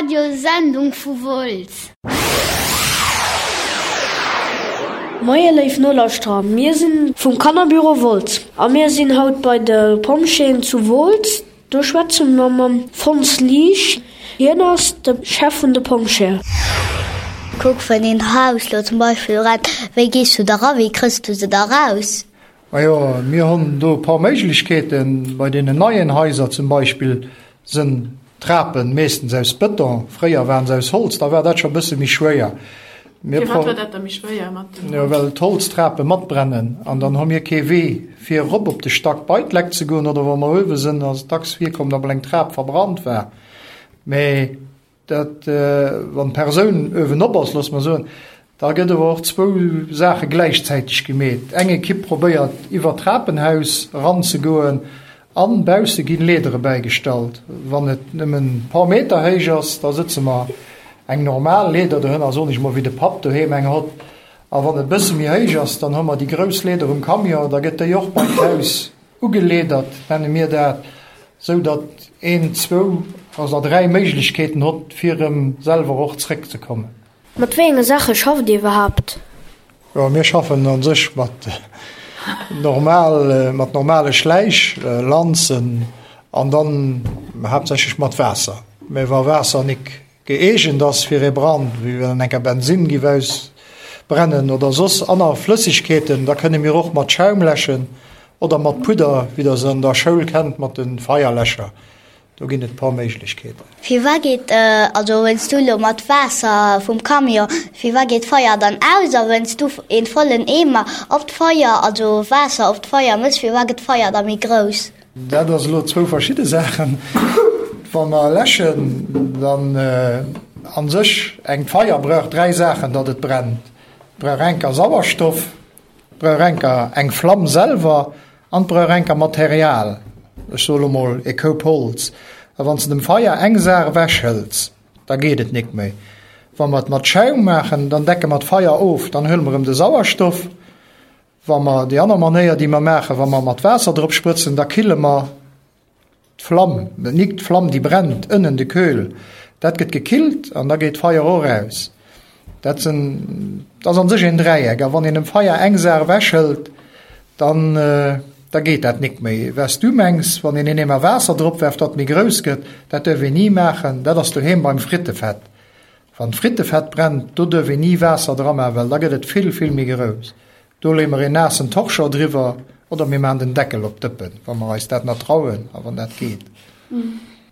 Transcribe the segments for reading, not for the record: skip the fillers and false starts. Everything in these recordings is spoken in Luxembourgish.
Radiosendung vu Wolz. Moie léif Nolauschterer, mir sinn vum Kannerbüro Wolz a mir sinn haut bei de Pompjeeën zu Wolz. Do schwätze mer mam Fons Liesch, hien ass de Chef vun de Pompjeeë. Kuck, wann een Haus lo zum Beispill brennt, wéi gees du da ra, wéi krëss du se da raus? Majo, mir hunn do e paar Méiglechkeeten. Bei deenen neien Haiser zum Beispill sënn d'Trapen meeschtens aus Bëton. Fréier waren se aus Holz, da war dat scho e bësse méi schwéier. Mir Firwat war dat da méi schwéier mat dem Jo, Holz? well d'Holztrape matbrennen an dann hu mir kee Wee fir erop op de Stack bei d'Leck ze goen oder wa mer uewe sënn, ass et dacks virkomm, datt mol eng Trap verbrannt war. Mee Dat, wann d'Persoun uewenop ass, loosse mer soen, da gëtt awer och zwou Saache gläichzäiteg gemeet. Eng Ekipp probéiert iwwer d'Trapenhaus eranzegoen an bausse ginn Leedere bäigestallt. Wann et nëmmen e paar Meter héich ass, da sëtze mer eng normal Leeder dohënner, soen ech mol, wéi de Papp doheem eng hott. A wann et e bësse méi héich ass, dann hu mer déi grouss Leeder um Camion, da gëtt déi och bei d'Haus Ugeleedert nenne mir dat, sou datt een zwou oder dräi Méiglechkeeten hott, fir erëm selwer och zréckzekommen. Mat wéi enge Saache schafft Dir iwwerhaapt? Jo, mir schaffen a sech mat normal, mat normale Schläich, Lanzen an dann haaptsächlech mat Waasser. Mä wa Waasser nik Gëeegent ass fir ee Brand, wéi wann enker Bensinn giff ausbrennen oder soss anner Flëssigkeeten, da kënne mir och mat Schaum läschen oder mat Pudder, wéi der se an der Schoul kennt mat de Feierläscher. Do ginn et paar Méiglechkeeten. Firwat geet, also wenn's du lo mat Waasser vum Camion, firwat geet d'Feier dann aus a wenn's du een vollen Eemer op d'Feier, also Waasser op d'Feier mëss, firwat gëtt d'Feier da méi grouss? Dat ass elo zwou verschidde Saachen. Wa mer läschen, dann a sech eng Feier brauch dräi Saachen, datt et brennt. Et brauch enker Sauerstoff, et brauch enker eng Flamm selwer an et brauch enker Material, ech soe lo mol e Koup Holz. A wann s de dem Feier eng Saach ewechhëls, da geet et nik méi. Wa mer et mat Schaum maachen, dann decke mer d'Feier of, dann huele mer erëm de Sauerstoff. Wa mer déi aner Manéier, déi mer maachen, wa mer mat Waasser drop sprëtzen, da kille mer d'Flamm, nik d'Flamm, déi brennt, ënnen de Köhl, dat gëtt gekillt an da geet d'Feier och aus. Dat sinn, dat ass an sech een Dräieck. A wann een dem Feier eng Saach ewechhëlt, dann, da geet dat nik méi. Wat s du mengs, wann een een Eemer Waasser drop werft, datt méi grouss gëtt, dat duerf een ni maachen, dat ass doheem beim Frittefett. Wann d'Frittefett brennt, do duerf een ni Waasser dra maachen, well da gëtt et vill, vill méi grouss. Do leeë mer een naassen Torchon driwwer oder mir maachen den Deckel op d'Dëppen, wa mer eis dat nach trauen a wann dat geet.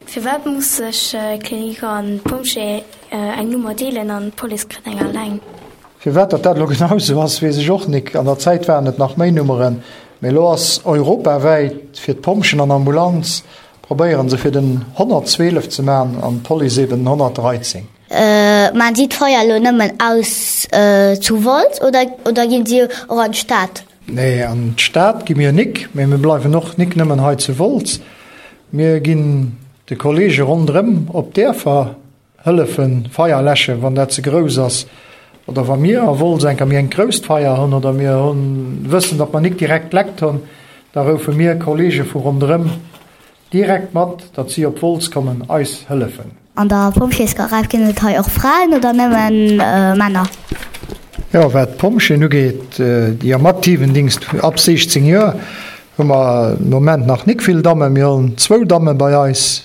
Firwat muss sech d'Klinik an d'Pompjee eng Nummer deelen an d'Police kritt eng alleng? Firwat datt dat elo genau esou ass, weess ech och nik. An der Zäit waren et nach méi Nummeren, mee elo ass europawäit fir d'Pompjen an Ambulanz Probéieren se fir den 112 ze man an d'Police eben den 113. Maan si d'Feier elo nëmmen aus zu Wolz oder oder ginn si och an d'Stad? Nee, an d'Stad gi mir nik, mee mir bleiwen och nik nëmmen hei zu Wolz. Mir ginn de Kollege ronderëm op d'Däerfer Hëllefen Feier läschen, wann dat ze grouss ass, oder wa mir a Wolz enker méi engt grousst Feier hunn oder mir hunn wëssen, datt mer nik direkt Leckt hunn, da roufe mir Kollege vu ronderëm direkt mat, datt si op Wolz kommen eis hëllefen. An der Pompjeesgarage ginn et hei och Fraen oder nëmmen Männer? Jo, wat d'Pompjeeën ugeet, déi am aktiven Dingst ab 16 Joer, hu mer de Moment nach nik vill Dammen. Mir hunn zwou Damme bei eis,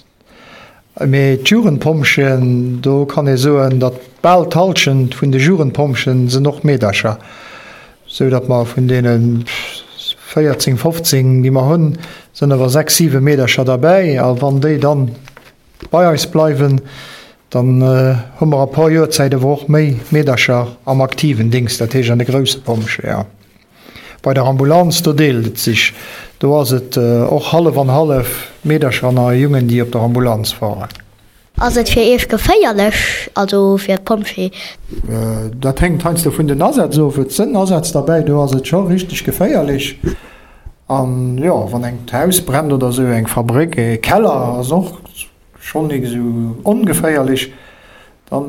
Mee d'Jugendpompjeeën, do kann ee soen, datt bal d'Hallschent vun de Jugendpompjeeën sinn och Meedercher, sou datt mer vun deene 14, 15, déi mer hunn, sinn awer 6, 7 Meedercher derbäi. A wann déi dann bei eis bleiwen, dann hu mer a puer Joer Zäit awer och méi Meedercher am aktiven Dingst, dat heescht an de grousse Pompjeeën. Bei der Ambulanz, do deelt et sech. Do ass et och hallef an hallef, Meedercher an a Jungen, déi op der Ambulanz fahren. Ass et fir Iech geféierlech, also fir d'Pompjee? Dat hänkt heiansdo vun den Asätz of. Et sënn Asätz derbäi, do ass et scho richteg geféierlech. An jo, wann engt Haus brennt oder esou, eng Fabréck, e Keller ass och schonn nik esou ongeféierlech. Dann,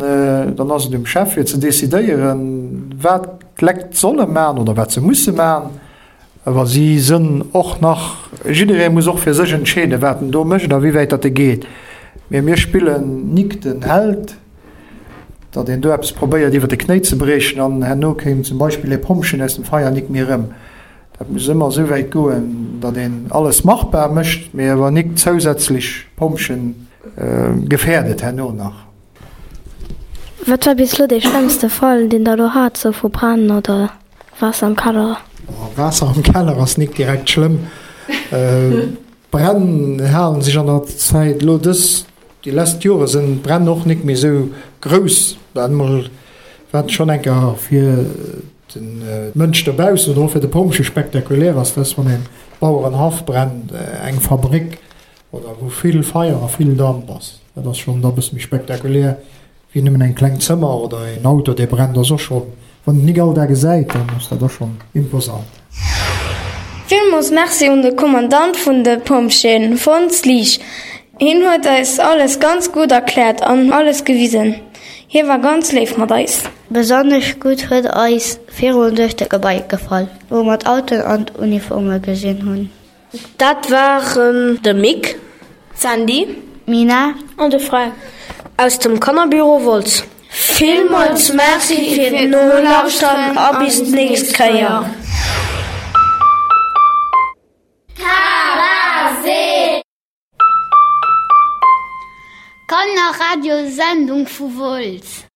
dann ass et um Chef fir ze decidéieren, wat d'Lekt solle man oder wat se musse man. Awer si sënn och nach, jidderee muss och fir sech entscheeden, wat en do mécht a wéi wäit datt e geet. Mee mir spillen nik den Held, datt een do eppes probéiert iwwer de Knéi ze briechen an herno kéim zum Beispill ee Pompchen aus dem Feier nik méi erëm. Dat muss ëmmer esou wäit goen, datt een alles machbar mécht, mee awer nik zousätzlech Pompchen gefährdet herno nach. Wat war bis elo dee schlëmmste Fall, deen der elo hat, sou vu Bränn oder Waasser am Keller? Waasser am Keller ass nik direkt schlëmm. D'Bränn halen sech an der Zäit elo dës, déi lesst Jore sënn d'Bränn och nik méi sou grouss. Wat emol, wat schonn eng Kéier fir de Mënsch dobaussen oder och fir de Pompjee spektakulär ass, dat ass wann een Bauerenhaff brennt, eng Fabréck oder wou vill Feier a vill Damp ass. Dat ass schonn da e bësse méi spektakulär wéi nëmmen eng kleng Zëmmer oder een Auto dee brennt ass och schonn, wann een et nik all Dag gesäit, dann ass dat och schonn imposant. Villmools Merci un de Kommandant vun de Pompjeeën, Fons Liesch. Hien huet eis alles ganz gutt erkläert an alles gewisen. Hie war ganz léif mat eis. Besonnesch gutt huet eis virun duerch de Gebai gefall, wou mer d'Autoen an d'Uniforme gesinn hunn. Dat waren de Mick, d'Sandy, d'Mina an de Frank aus dem Kannerbüro Wolz. Villmools Merci fir d'Nolauschteren a bis d'nächst Kéier. Kannerradiosendung vu Wolz.